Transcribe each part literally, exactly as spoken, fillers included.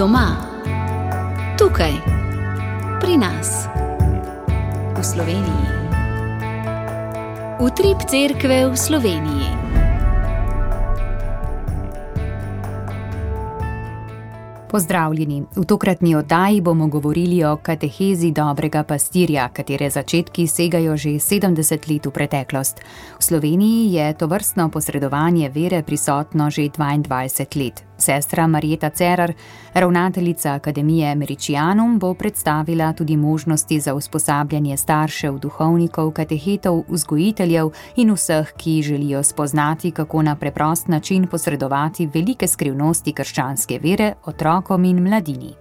Doma, tukaj, pri nas, v Sloveniji. Utrip cerkve v Sloveniji. Pozdravljeni. V tokratni oddaji bomo govorili o katehezi dobrega pastirja, katere začetki segajo že sedemdeset let v preteklost. V Sloveniji je tovrstno posredovanje vere prisotno že dvaindvajset let. Sestra Marjeta Cerar, ravnateljica Akademije Američanum, bo predstavila tudi možnosti za usposabljanje staršev, duhovnikov, katehetov, vzgojiteljev in vseh, ki želijo spoznati, kako na preprost način posredovati velike skrivnosti krščanske vere otrokom in mladini.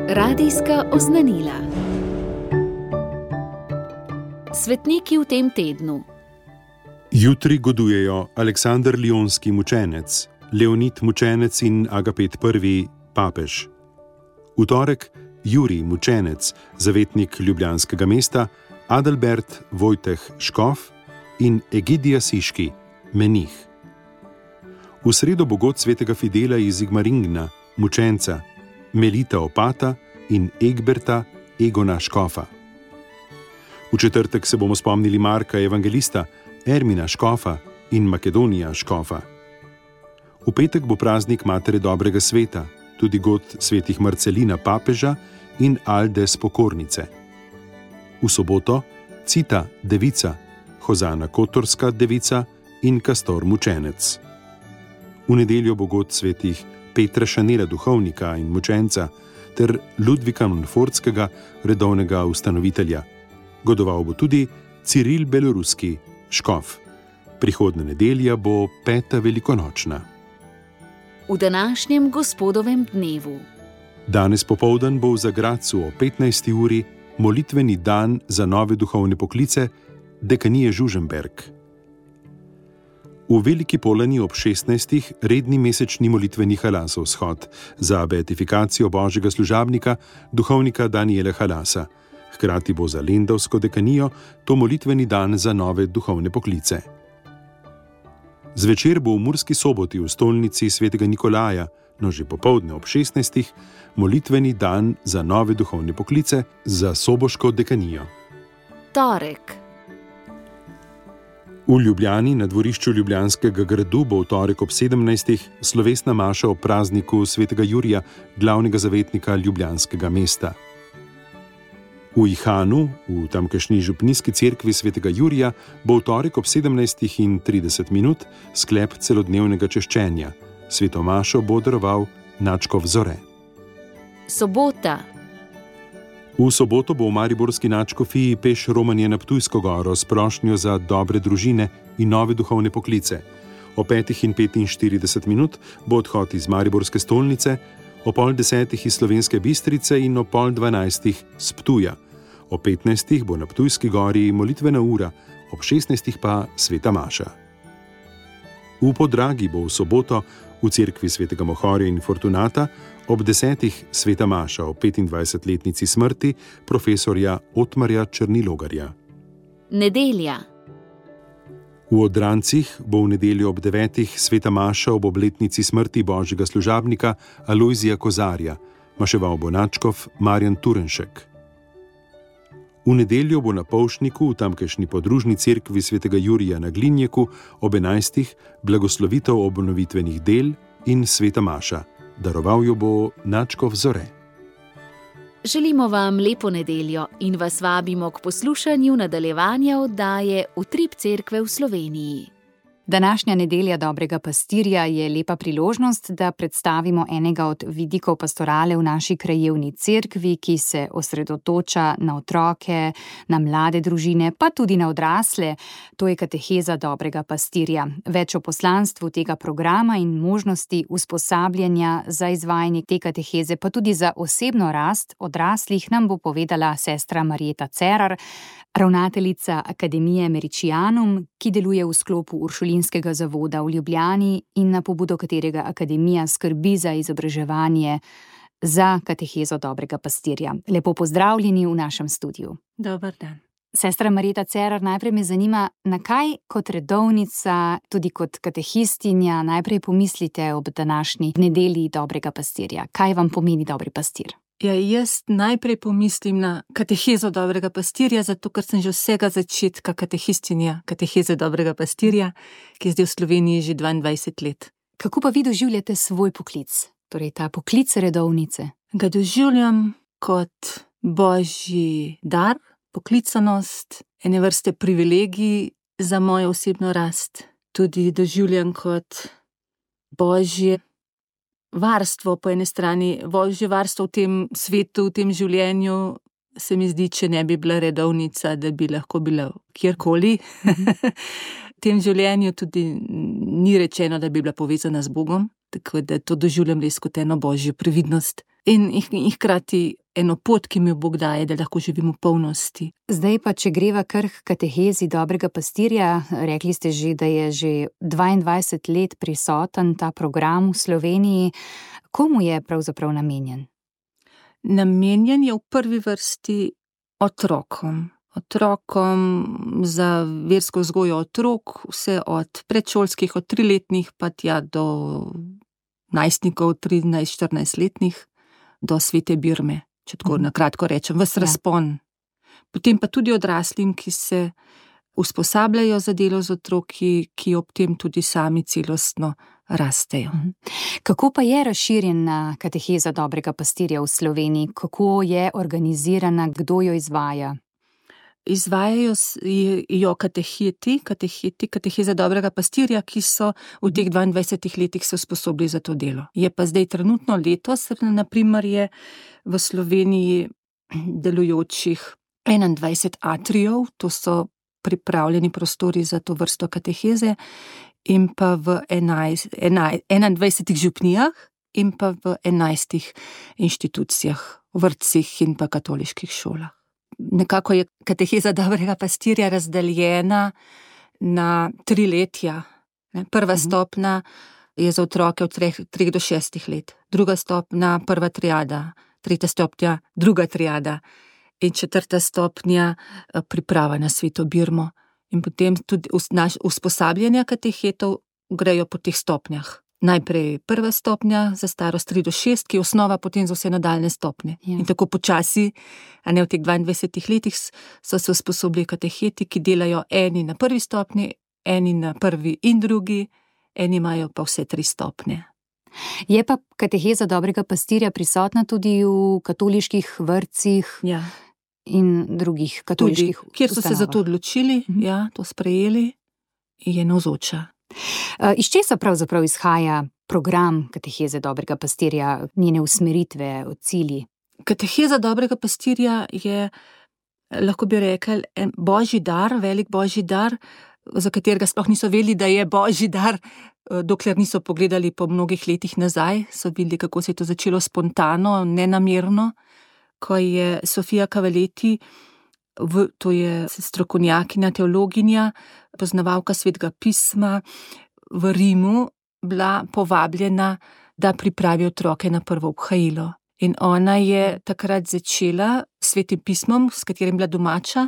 Radijska oznanila. Svetniki v tem tednu. Jutri godujejo Aleksander Lionski mučenec, Leonid mučenec in Agapet prvi papež. V torek Jurij mučenec, zavetnik ljubljanskega mesta, Adalbert Vojteh škof in Egidija Siški, menih. V sredo bo god svetega Fidela iz Igmaringna, mučenca, Melita opata in Egberta Egona škofa. V četrtek se bomo spomnili Marka evangelista, Ermina škofa in Makedonija škofa. V petek bo praznik Matere dobrega sveta, tudi god svetih Marcelina papeža in Alde Spokornice. V soboto Cita devica, Hozana Kotorska devica in Kastor mučenec. V nedeljo bo god svetih Petra Šanela duhovnika in mučenca ter Ludvika Monfortskega redovnega ustanovitelja. Godoval bo tudi Ciril Beloruski škof. Prihodnja nedelja bo peta velikonočna. V današnjem gospodovem dnevu. Danes popoldan bo v Zagradcu o petnajsti uri molitveni dan za nove duhovne poklice dekanije Žužemberk. V Veliki Polani ob šestnajstih redni mesečni molitveni halasov shod za beatifikacijo božjega služabnika, duhovnika Daniela Halasa. Hkrati bo za lendavsko dekanijo to molitveni dan za nove duhovne poklice. Zvečer bo v Murski Soboti v stolnici svetega Nikolaja, no že popoldne ob šestnajstih, molitveni dan za nove duhovne poklice za soboško dekanijo. Torek. V Ljubljani na dvorišču Ljubljanskega gradu bo v torek ob sedemnajstih slovesna maša o prazniku svetega Jurija, glavnega zavetnika ljubljanskega mesta. V Ihanu, v tamkajšnji župnijski cerkvi svetega Jurija, bo v torek ob sedemnajstih in trideset minut sklep celodnevnega češčenja. Sveto mašo bo daroval nadškof Zore. Sobota. V soboto bo v mariborski nadškofiji peš romanje na Ptujsko goro s prošnjo za dobre družine in nove duhovne poklice. O petih in petinštirideset minut bo odhod iz mariborske stolnice, o pol desetih iz Slovenske Bistrice in o pol dvanajstih z Ptuja. O petnajstih bo na Ptujski gori molitvena ura, ob šestnajstih pa sveta maša. V Podragi bo v soboto v cerkvi svetega Mohorja in Fortunata ob desetih sveta maša o petindvajsetletnici smrti profesorja Otmarja Črnilogarja. Nedelja. V Odrancih bo v nedeljo ob devetih sveta maša ob obletnici smrti božjega služabnika Alojzija Kozarja, maševal bo nadškof Marjan Turenšek. V nedeljo bo na Polšniku v tamkajšnji podružni cerkvi svetega Jurija na Glinjeku ob enajstih blagoslovitev obnovitvenih del in sveta maša. Daroval jo bo nadškof Zore. Želimo vam lepo nedeljo in vas vabimo k poslušanju nadaljevanja oddaje Utrip cerkve v Sloveniji. Današnja nedelja dobrega pastirja je lepa priložnost, da predstavimo enega od vidikov pastorale v naši krajevni cerkvi, ki se osredotoča na otroke, na mlade družine, pa tudi na odrasle. To je kateheza dobrega pastirja. Več o poslanstvu tega programa in možnosti usposabljanja za izvajanje te kateheze, pa tudi za osebno rast odraslih, nam bo povedala sestra Marjeta Cerar, ravnateljica Akademije Američanum, ki deluje v sklopu Uršulinskega zavoda v Ljubljani in na pobudo katerega akademija skrbi za izobraževanje za katehezo dobrega pastirja. Lepo pozdravljeni v našem studiu. Dober dan. Sestra Marjeta Cerar, najprej me zanima, na kaj kot redovnica, tudi kot katehistinja, najprej pomislite ob današnji nedelji dobrega pastirja. Kaj vam pomeni dobri pastir? Ja, jaz najprej pomislim na katehezo dobrega pastirja, zato ker sem že vsega začetka katehistinja, kateheze dobrega pastirja, ki je zdaj v Sloveniji že dvaindvajset let. Kako pa vi doživljate svoj poklic, torej ta poklic redovnice? Ga doživljam kot božji dar, poklicanost, ene vrste privilegij za mojo osebno rast. Tudi doživljam kot božje varstvo po eni strani, božje varstvo v tem svetu, v tem življenju, se mi zdi, če ne bi bila redovnica, da bi lahko bila kjerkoli. V tem življenju tudi ni rečeno, da bi bila povezana z Bogom, tako da to doživljam res kot eno božjo previdnost. In, in hkrati eno pot, ki mi jo Bog daje, da lahko živim v polnosti. Zdaj pa, če greva kar k katehezi dobrega pastirja, rekli ste že, da je že dvaindvajset let prisoten ta program v Sloveniji. Komu je pravzaprav namenjen? Namenjen je v prvi vrsti otrokom. Otrokom za versko vzgojo otrok, vse od predšolskih, od triletnih pa tja do najstnikov, trinajst, štirinajst letnih, do svete Birme, če tako na kratko rečem, ves razpon. Potem pa tudi odraslim, ki se usposabljajo za delo z otroki, ki ob tem tudi sami celostno rastejo. Kako pa je razširjena kateheza dobrega pastirja v Sloveniji? Kako je organizirana, kdo jo izvaja? Izvajajo jo kateheti, kateheti, kateheza dobrega pastirja, ki so v teh dvaindvajsetih letih se usposobili za to delo. Je pa zdaj trenutno letos, na primer je v Sloveniji delujočih enaindvajset atrijev, to so pripravljeni prostori za to vrsto kateheze, in pa v enajst, enajst, enaindvajsetih župnijah in pa v enajstih inštitucijah, vrtcih in pa katoliških šolah. Nekako je kateheza dobrega pastirja razdeljena na tri letja. Prva stopnja je za otroke od treh, treh do šestih let, druga stopnja prva triada, tretja stopnja druga triada in četrta stopnja priprava na sveto Birmo. In potem tudi usposabljanja katehetov grejo po teh stopnjah. Najprej prva stopnja za starost tri do šest, ki je osnova potem za vse nadaljne stopnje. Ja. In tako počasi, a ne v teh dvaindvajsetih letih, so se usposobili kateheti, ki delajo eni na prvi stopnji, eni na prvi in drugi, eni imajo pa vse tri stopnje. Je pa kateheza dobrega pastirja prisotna tudi v katoliških vrtcih, ja, in drugih katoliških tudi, kjer so ustanovah. Se za to odločili, mhm. ja, to sprejeli, je navzoča. Iz česa pravzaprav izhaja program kateheze dobrega pastirja, njene usmeritve, cilji? Kateheza dobrega pastirja je, lahko bi rekli, en božji dar, velik božji dar, za katerega sploh niso vedeli, da je božji dar, dokler niso pogledali po mnogih letih nazaj, so videli, kako se je to začelo spontano, nenamerno, ko je Sofia Cavalletti, v, to je strokovnjakinja, teologinja, poznavalka svetega pisma, v Rimu bila povabljena, da pripravi otroke na prvo obhajilo. In ona je takrat začela s svetim pismom, s katerim bila domača,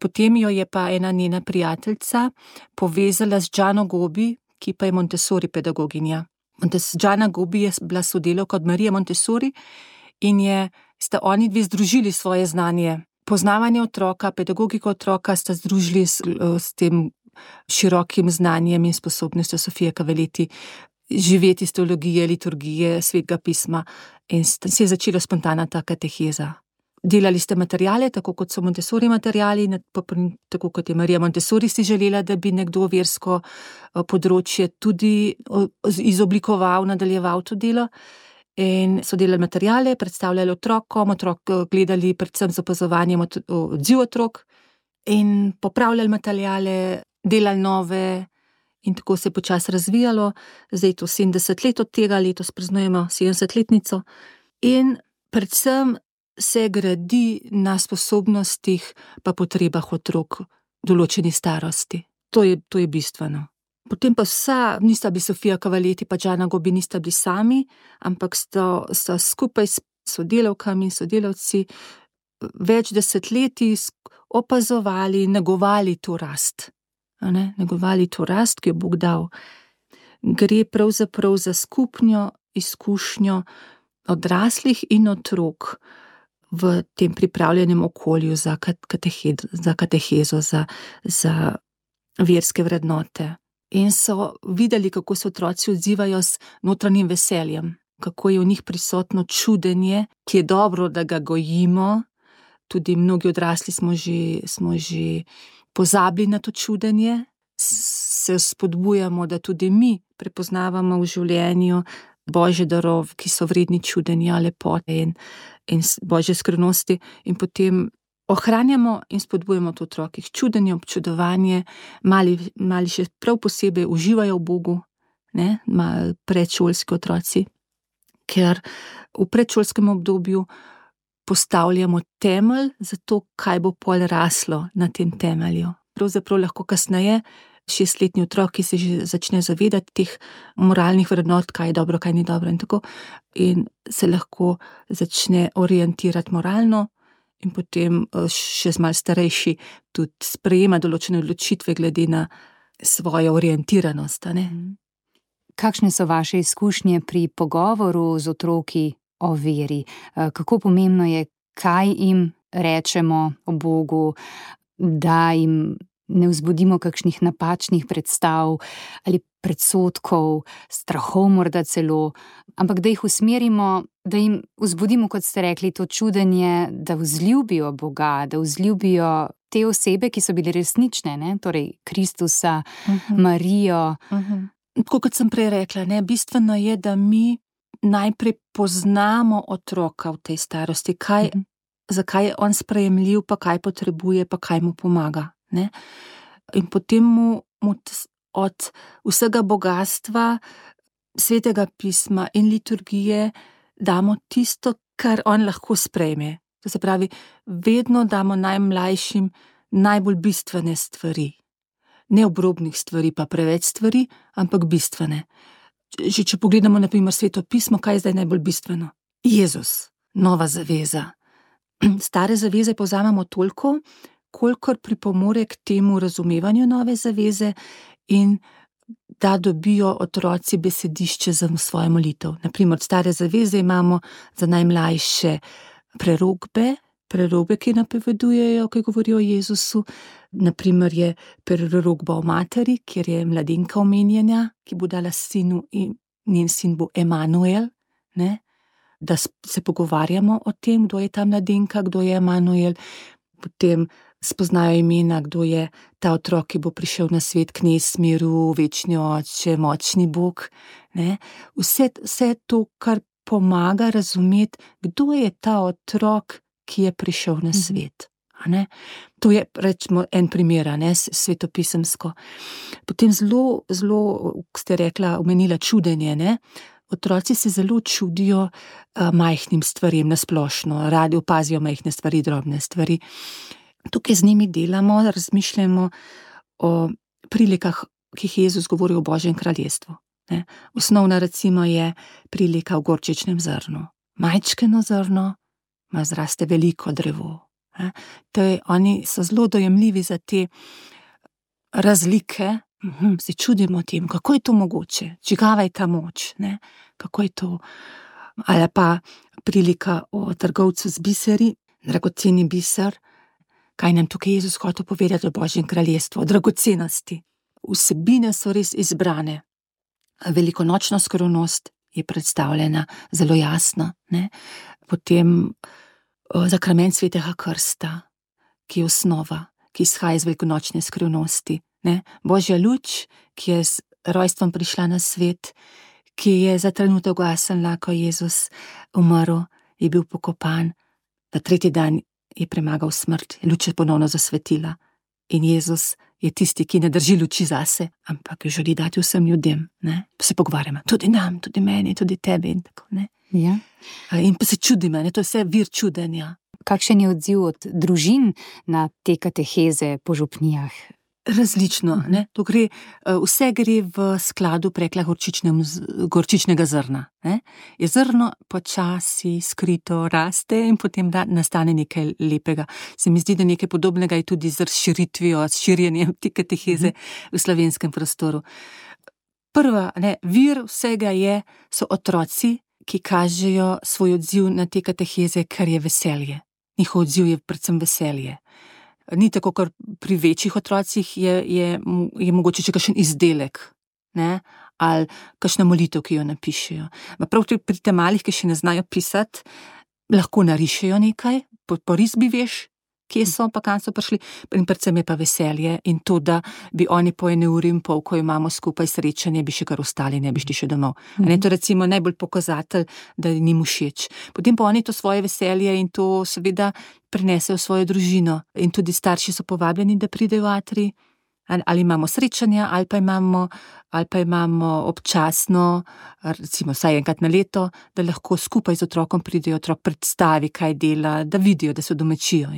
potem jo je pa ena njena prijateljica povezala z Giano Gobbi, ki pa je Montessori pedagoginja. Giana Gobbi je bila sodelavka od Marije Montessori in je, sta oni dve združili svoje znanje. Poznavanje otroka, pedagogiko otroka sta združili s, s tem širokim znanjem in sposobnostjo Sofije Cavalletti živeti iz teologije, liturgije, svetega pisma in se je začela spontana ta kateheza. Delali ste materijale, tako kot so Montessori materijali, tako kot je Marija Montessori si želela, da bi nekdo versko področje tudi izoblikoval, nadaljeval to delo. In so delali materijale, predstavljali otrokom, otrok gledali predvsem z opazovanjem odziv otrok in popravljali materijale, delali nove in tako se je počasi razvijalo. Zdaj je to sedemdeset let od tega, letos praznujemo sedemdesetletnico in predvsem se gradi na sposobnostih pa potrebah otrok določeni starosti. To je, to je bistveno. Potem pa vsa, nista bili Sofia Cavalletti pa Giana Gobbi, nista bili sami, ampak sta, sta skupaj s sodelavkami in sodelavci več desetletij opazovali, negovali to rast. Ne? Negovali to rast, ki jo Bog dal. Gre pravzaprav za skupno izkušnjo odraslih in otrok v tem pripravljenem okolju za, katehed, za katehezo, za, za verske vrednote. In so videli, kako se otroci odzivajo s notranjim veseljem, kako je v njih prisotno čudenje, ki je dobro, da ga gojimo. Tudi mnogi odrasli smo že, smo že pozabili na to čudenje, se spodbujamo, da tudi mi prepoznavamo v življenju Božje darove, ki so vredni čudenja, lepote in, in Božje skrivnosti, in potem ohranjamo in spodbujamo to otrokih čudenje, občudovanje, mali, mali še prav posebej uživajo v Bogu, ne, predšolski otroci, ker v predšolskem obdobju postavljamo temelj za to, kaj bo pol raslo na tem temelju. Pravzaprav lahko kasneje šestletni otrok, ki se že začne zavedati teh moralnih vrednot, kaj je dobro, kaj ni dobro in tako, in se lahko začne orientirati moralno, in potem še malo starejši tudi sprejema določene odločitve glede na svojo orientiranost. Ne? Kakšne so vaše izkušnje pri pogovoru z otroki o veri? Kako pomembno je, kaj jim rečemo o Bogu, da jim ne vzbudimo kakšnih napačnih predstav ali predsodkov, strahov morda celo, ampak da jih usmerimo, da jim vzbudimo, kot ste rekli, to čudenje, da vzljubijo Boga, da vzljubijo te osebe, ki so bile resnične, ne? Torej Kristusa, uh-huh. Marijo. Uh-huh. Tako kot sem prej rekla, ne? Bistveno je, da mi najprej poznamo otroka v tej starosti, kaj, uh-huh. zakaj je on sprejemljiv, pa kaj potrebuje, pa kaj mu pomaga. Ne? In potem mu, mu od vsega bogatstva Svetega pisma in liturgije damo tisto, kar on lahko sprejme. To se pravi, vedno damo najmlajšim najbolj bistvene stvari. Ne obrobnih stvari, pa preveč stvari, ampak bistvene. Že če pogledamo na primer Sveto pismo, kaj je zdaj najbolj bistveno? Jezus, nova zaveza. Stare zaveze povzamemo toliko, kolikor pripomore k temu razumevanju nove zaveze in da dobijo otroci besedišče za svojo molitev. Naprimer, stare zaveze imamo za najmlajše prerokbe, prerokbe, ki napovedujejo, ki govorijo o Jezusu. Naprimer je prerokba o materi, kjer je mladenka omenjena, ki bo dala sinu in njen sin bo Emanuel, ne? Da se pogovarjamo o tem, kdo je ta mladenka, kdo je Emanuel. Potem spoznajo imena, kdo je ta otrok, ki bo prišel na svet, knez miru, večni oče, močni Bog. Ne? Vse, vse to, kar pomaga razumeti, kdo je ta otrok, ki je prišel na svet. Ne? To je, rečemo, en primer, ne, svetopisemsko. Potem zelo, zelo, ste rekla, omenila čudenje, ne? Otroci se zelo čudijo uh, majhnim stvarem nasplošno, radi opazijo majhne stvari, drobne stvari. Tukaj z njimi delamo, razmišljamo o prilikah, ki jih Jezus govori o Božjem kraljestvu. Ne? Osnovna recimo je prilika v gorčičnem zrnu. Majčkeno zrno ima zraste veliko drevo. Ne? To je, oni so zelo dojemljivi za te razlike. Uhum, se čudimo tem, kako je to mogoče, čigava je ta moč, ne? Kako je to, ali pa prilika o trgovcu z biseri, dragoceni biser, kaj nam tukaj Jezus hotel povedati o Božjem kraljestvu, o dragocenosti. Vsebine so res izbrane, velikonočna skrivnost je predstavljena zelo jasno, ne? Potem o, zakrament svetega krsta, ki je osnova, ki izhaja iz velikonočne skrivnosti. Ne? Božja luč, ki je z rojstvom prišla na svet, ki je za trenutek ugasnila, ko je Jezus umrl, je bil pokopan, na tretji dan je premagal smrt, luč je ponovno zasvetila in Jezus je tisti, ki ne drži luči zase, ampak jo želi dati vsem ljudem. Ne? Pa se pogovarjamo, tudi nam, tudi meni, tudi tebi in tako. Ne? Ja. In pa se čudimo, ne? To je vse vir čudenja. Kakšen je odziv od družin na te kateheze po župnijah? Različno, ne? To gre, vse gre v skladu prekla gorčičnega zrna, ne? Je zrno počasi skrito raste in potem da nastane nekaj lepega. Se mi zdi, da nekaj podobnega je tudi z razširitvijo, s širjenjem te kateheze v slovenskem prostoru. Prva, ne, vir vsega je, so otroci, ki kažejo svoj odziv na te kateheze, kar je veselje. Njihov odziv je predvsem veselje. Ni tako, kar pri večjih otrocih je, je, je mogoče še kakšen izdelek, ne? Ali kakšna molitev, ki jo napišejo. Prav pri tem malih, ki še ne znajo pisati, lahko narišejo nekaj, po, po risbi veš, kje so, pa kam so prišli, in predvsem je pa veselje in to, da bi oni po ene uri in pol, ko imamo skupaj srečanje, bi še kar ostali, ne bi šli še domov. Mm-hmm. Ne, to recimo najbolj pokazatelj, da njim všeč. Potem pa oni to svoje veselje in to seveda prinesejo v svojo družino in tudi starši so povabljeni, da pridejo v atrij, ali imamo srečanja, ali pa imamo, ali pa imamo občasno, recimo vsaj enkrat na leto, da lahko skupaj z otrokom pridejo, otrok predstavi, kaj dela, da vidijo, da se domačijo.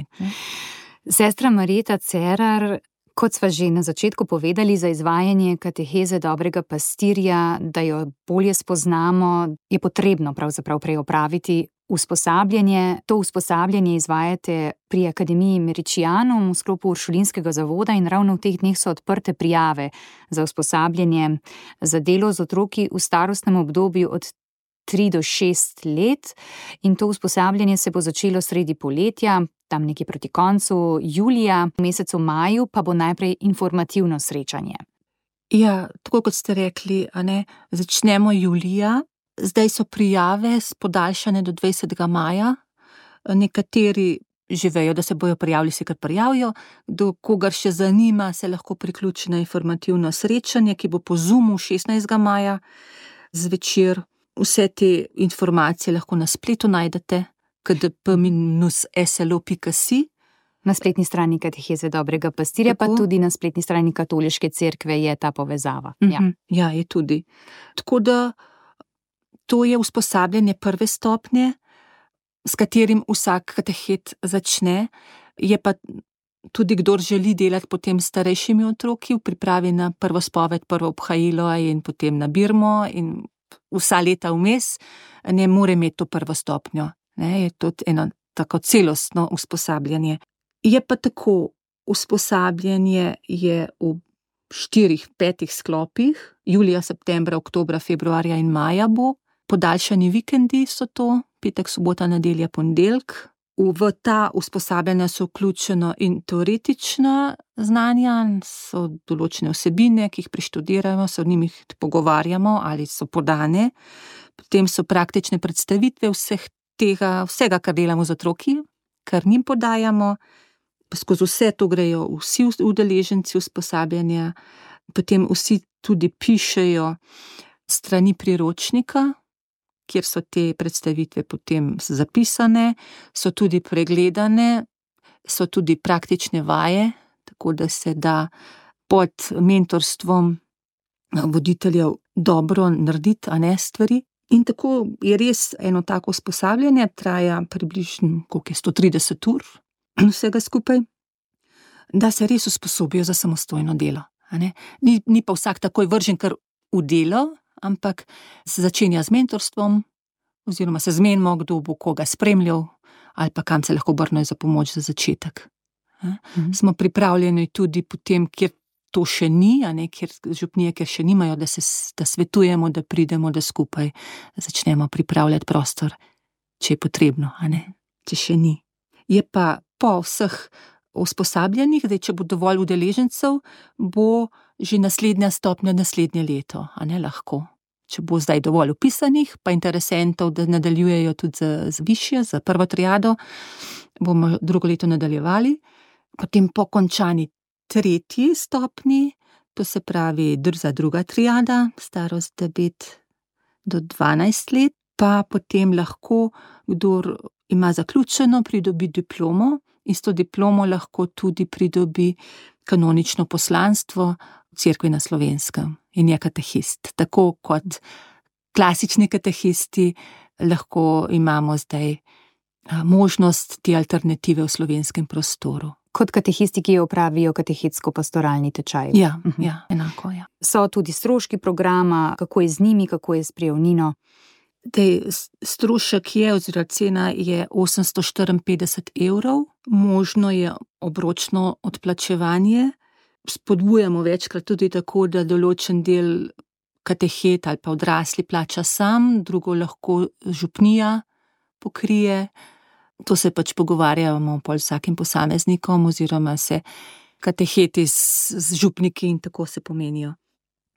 Sestra Marjeta Cerar, kot sva že na začetku povedali, za izvajanje kateheze dobrega pastirja, da jo bolje spoznamo, je potrebno pravzaprav prej opraviti usposabljanje. To usposabljanje izvajate pri Akademiji Meričianum v sklopu Uršulinskega zavoda in ravno v teh dneh so odprte prijave za usposabljanje za delo z otroki v starostnem obdobju od tri do šest let in to usposabljanje se bo začelo sredi poletja, tam nekje proti koncu julija, v mesecu maju pa bo najprej informativno srečanje. Ja, tako kot ste rekli, a ne, začnemo julija. Zdaj so prijave podaljšane do dvajsetega maja. Nekateri že vejo, da se bojo prijavili, se kar prijavijo. Do kogar še zanima, se lahko priključi na informativno srečanje, ki bo po Zoomu šestnajstega maja zvečer. Vse te informacije lahko na spletu najdete k d p minus s l o pika si. Na spletni strani kateheze dobrega pastirja, tako, pa tudi na spletni strani Katoliške cerkve je ta povezava. Uh-huh. Ja. Ja, je tudi. Tako da to je usposabljanje prve stopnje, s katerim vsak katehet začne, je pa tudi kdor želi delati potem s starejšimi otroki v pripravi na prvo spoved, prvo obhajilo in potem na birmo in vsa leta vmes, ne more imeti to prvo stopnjo. Ne, je to eno tako celostno usposabljanje. Je pa tako, usposabljanje je v štirih, petih sklopih, julija, septembra, oktobra, februarja in maja bo. Podaljšani vikendi so to, petek, sobota, nedelja, ponedeljek. V ta usposabljanja so vključeno in teoretična znanja, so določene vsebine, ki jih preštudiramo, se o njih pogovarjamo ali so podane. Potem so praktične predstavitve vseh tega, vsega, kar delamo z otroki, kar njim podajamo. Skozi vse to grejo vsi udeleženci usposabljanja, potem vsi tudi pišejo strani priročnika, kjer so te predstavitve potem zapisane, so tudi pregledane, so tudi praktične vaje, tako da se da pod mentorstvom voditeljev dobro narediti, a ne stvari. In tako je res eno tako usposabljanje, traja približno, koliko je, sto trideset ur vsega skupaj, da se res usposobijo za samostojno delo. A ne? Ni, ni pa vsak takoj vržen kar v delo, ampak se začenja z mentorstvom, oziroma se zmenimo, kdo bo koga spremljal, ali pa kam se lahko obrnejo za pomoč za začetek. Mhm. Smo pripravljeni tudi potem, kjer to še ni, a ne, kjer župnije, kjer še nimajo, da se da svetujemo, da pridemo, da skupaj začnemo pripravljati prostor, če je potrebno, a ne, če še ni. Je pa po vseh usposabljanjih, da če bo dovolj udeležencev, bo že naslednja stopnja naslednje leto, a ne, lahko. Če bo zdaj dovolj vpisanih, pa interesentov, da nadaljujejo tudi z, z višjo, za prvo triado, bomo drugo leto nadaljevali. Potem po končani tretji stopni, to se pravi za druga triada, starost devet do dvanajst let, pa potem lahko, kdor ima zaključeno, pridobi diplomo in s to diplomo lahko tudi pridobi kanonično poslanstvo v cerkvi na Slovenskem in je katehist. Tako kot klasični katehisti lahko imamo zdaj možnost te alternative v slovenskem prostoru. Kot katehisti, ki opravijo katehetsko-pastoralni tečaj. Ja, uh-huh. ja, enako, ja. So tudi stroški programa, kako je z njimi, kako je s prijavnino? Tej strošek je, oziroma cena je osemsto štiriinpetdeset evrov, možno je obročno odplačevanje. Spodbujamo večkrat tudi tako, da določen del katehet ali pa odrasli plača sam, drugo lahko župnija pokrije. To se pač pogovarjamo pol vsakim posameznikom oziroma se kateheti z, z župniki in tako se pomenijo.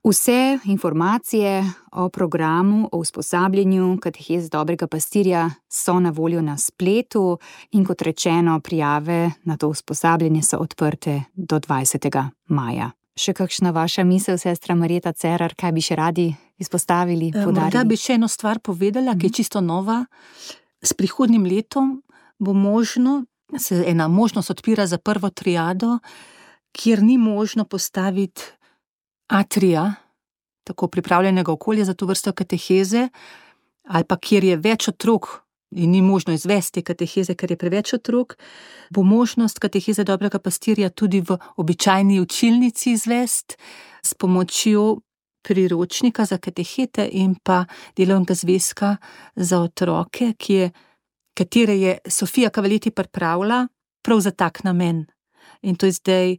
Vse informacije o programu, o usposabljanju katehez dobrega pastirja so na voljo na spletu in kot rečeno, prijave na to usposabljanje so odprte do dvajsetega maja. Še kakšna vaša misel, sestra Marjeta Cerar, kaj bi še radi izpostavili, podarili? Morda bi še eno stvar povedala, ki je čisto nova. S prihodnjim letom bo možno, se ena možnost odpira za prvo triado, kjer ni možno postaviti atrija, tako pripravljenega okolja za to vrsto kateheze, ali pa kjer je več otrok in ni možno izvesti kateheze, ker je preveč otrok, bo možnost kateheze dobrega pastirja tudi v običajni učilnici izvesti s pomočjo priročnika za katehete in pa delovnega zvezka za otroke, ki je, katere je Sofija Kavaleti pripravila prav za tak namen. In to je zdaj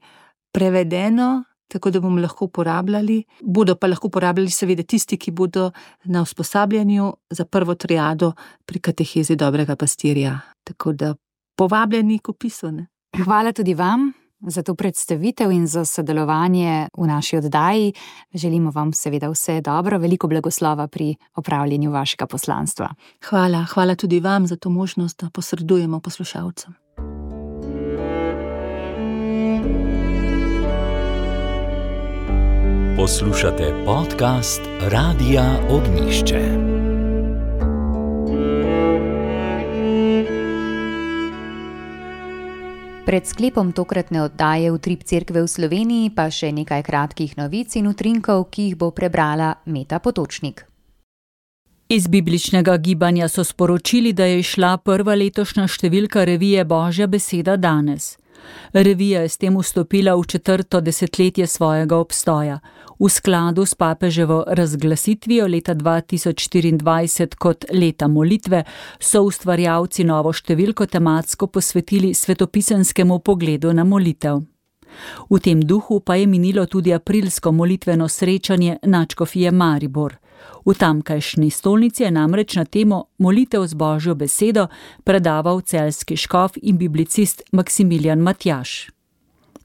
prevedeno, tako da bomo lahko uporabljali. Bodo pa lahko uporabljali seveda tisti, ki bodo na usposabljanju za prvo triado pri katehezi dobrega pastirja. Tako da povabljeni k opisu. Ne? Hvala tudi vam za to predstavitev in za sodelovanje v naši oddaji. Želimo vam seveda vse dobro, veliko blagoslova pri opravljanju vašega poslanstva. Hvala, hvala tudi vam za to možnost, da posredujemo poslušalcem. Poslušate podcast Radia Ognjišče. Pred sklepom tokratne oddaje Utrip cerkve v Sloveniji pa še nekaj kratkih novic in utrinkov, ki jih bo prebrala Meta Potočnik. Iz bibličnega gibanja so sporočili, da je šla prva letošnja številka revije Božja beseda danes. Revija je s tem vstopila v četrto desetletje svojega obstoja. V skladu s papeževo razglasitvijo leta dva tisoč štiriindvajset kot leta molitve so ustvarjalci novo številko tematsko posvetili svetopisanskemu pogledu na molitev. V tem duhu pa je minilo tudi aprilsko molitveno srečanje Nadškofije Maribor. V tamkajšnji stolnici je namreč na temo molitev z Božjo besedo predaval celjski škof in biblicist Maksimilijan Matjaž.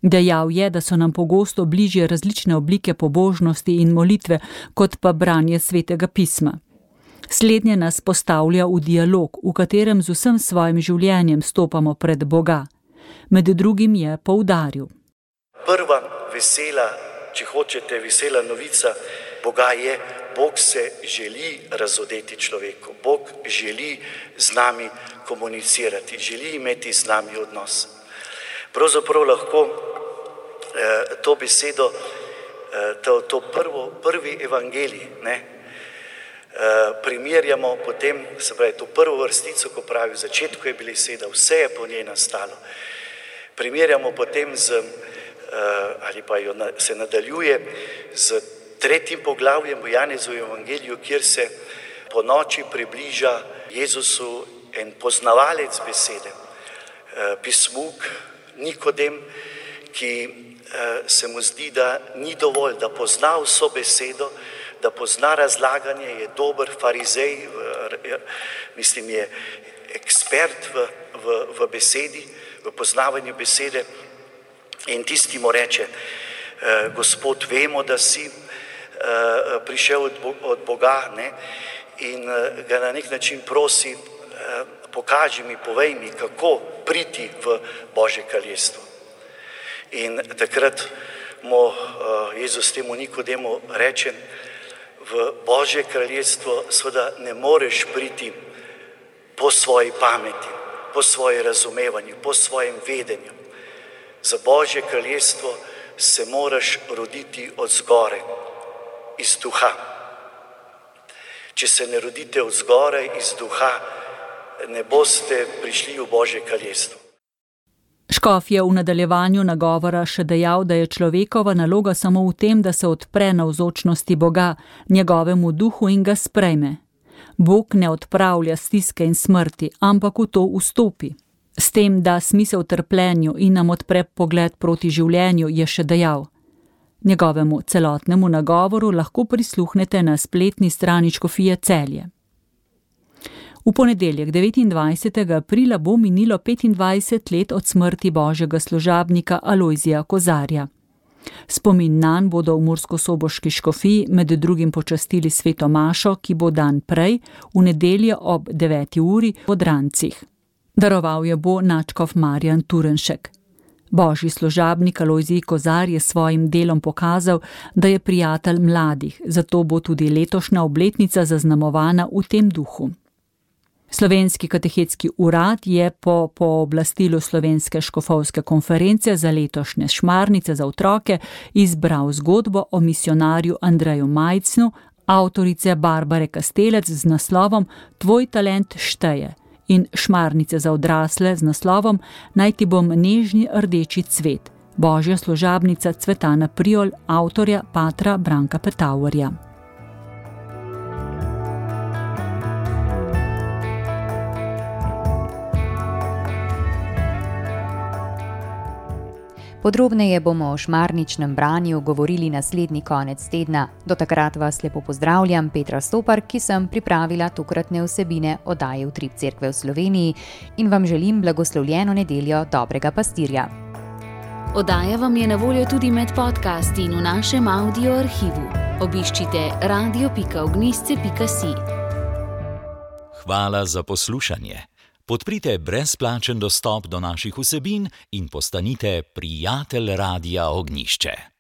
Dejal je, da so nam pogosto bližje različne oblike pobožnosti in molitve, kot pa branje svetega pisma. Slednje nas postavlja v dialog, v katerem z vsem svojim življenjem stopamo pred Boga. Med drugim je poudaril. Prva vesela, če hočete, vesela novica Boga je, Bog se želi razodeti človeku. Bog želi z nami komunicirati, želi imeti z nami odnos. Pravzaprav lahko eh, to besedo, eh, to, to prvo, prvi evangelij, ne, eh, primerjamo potem, se pravi, to prvo vrstico, ko pravi, v začetku je bila beseda, vse je po njej nastalo. Primerjamo potem z, eh, ali pa jo na, se nadaljuje z tretjim poglavjem v Janezovem evangeliju, kjer se po noči približa Jezusu en poznavalec besede, pismuk Nikodem, ki se mu zdi, da ni dovolj, da pozna vso besedo, da pozna razlaganje, je dober farizej, mislim, je ekspert v, v, v besedi, v poznavanju besede, in tisti mu reče, Gospod, vemo, da si prišel od Boga, ne, in ga na nek način prosi, pokaži mi, povej mi, kako priti v Božje kraljestvo. In takrat mu Jezus temu Nikodemu reče, v Božje kraljestvo seveda ne moreš priti po svoji pameti, po svojem razumevanju, po svojem vedenju. Za Božje kraljestvo se moraš roditi od zgoraj, iz duha. Če se ne rodite od zgoraj, iz duha, ne boste prišli v Božje kraljestvo. Škof je v nadaljevanju nagovora še dejal, da je človekova naloga samo v tem, da se odpre navzočnosti Boga, njegovemu duhu in ga sprejme. Bog ne odpravlja stiske in smrti, ampak v to vstopi. S tem, da smisel trpljenju in nam odpre pogled proti življenju, je še dejal. Njegovemu celotnemu nagovoru lahko prisluhnete na spletni strani Škofije Celje. V ponedeljek devetindvajsetega aprila bo minilo petindvajset let od smrti božjega služabnika Alojzija Kozarja. Spomin nanj bodo v murskosoboški škofiji med drugim počastili sveto mašo, ki bo dan prej, v nedeljo ob deveti uri v Drancih. Daroval je bo nadškof Marjan Turnšek. Božji služabnik Alojzij Kozar je s svojim delom pokazal, da je prijatelj mladih, zato bo tudi letošnja obletnica zaznamovana v tem duhu. Slovenski katehetski urad je po pooblastilu Slovenske škofovske konference za letošnje šmarnice za otroke izbral zgodbo o misionarju Andreju Majcnu, avtorice Barbare Kastelec z naslovom Tvoj talent šteje in šmarnice za odrasle z naslovom Naj ti bom nežni rdeči cvet, božja služabnica Cvetana Priol, avtorja patra Branka Petauerja. Podrobneje bomo o šmarničnem branju govorili naslednji konec tedna. Do takrat vas lepo pozdravljam, Petra Stopar, ki sem pripravila tokratne vsebine oddaje Utrip Cerkve v Sloveniji in vam želim blagoslovljeno nedeljo dobrega pastirja. Oddaja vam je na voljo tudi med podcasti in v našem audio arhivu. Obiščite radio pika ognjišče pika si. Hvala za poslušanje. Podprite brezplačen dostop do naših vsebin in postanite prijatelj Radia Ognjišče.